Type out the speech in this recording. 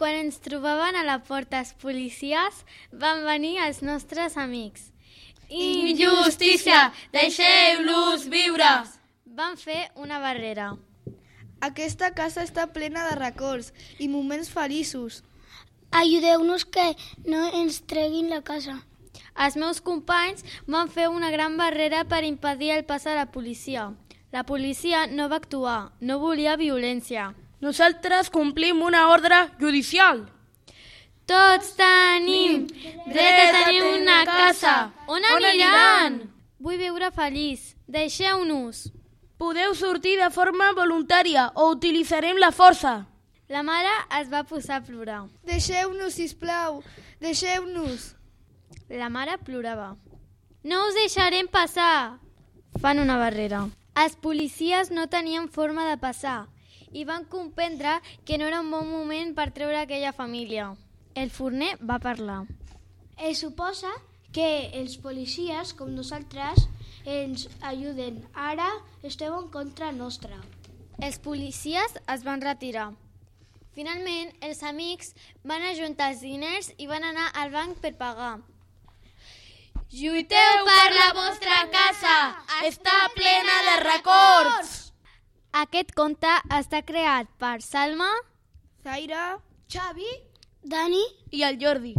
Quan ens trobaven a la porta els policies, van venir els nostres amics. Injustícia! Deixeu-los viure! Van fer una barrera. Aquesta casa està plena de records i moments feliços. Ajudeu-nos que no ens treguin la casa. Els meus companys van fer una gran barrera per impedir el pas a la policia. La policia no va actuar, no volia violència. Nosaltres complim una ordre judicial. Tots tenim dret a tenir una casa. On aniran? Vull viure feliç. Deixeu-nos. Podeu sortir de forma voluntària o utilitzarem la força. La mare es va posar a plorar. Deixeu-nos, sisplau, deixeu-nos. La mare plorava. No us deixarem passar. Fan una barrera. Els policies no tenien forma de passar i van comprendre que no era un bon moment per treure aquella família. El forner va parlar. Es suposa que els policies, com nosaltres, ens ajuden. Ara esteu en contra nostra. Els policies es van retirar. Finalment, els amics van ajuntar els diners i van anar al banc per pagar. Lluiteu per la vostra casa! Està plena de records! Aquest conte està creat per Salma, Zaira, Xavi, Dani I el Jordi.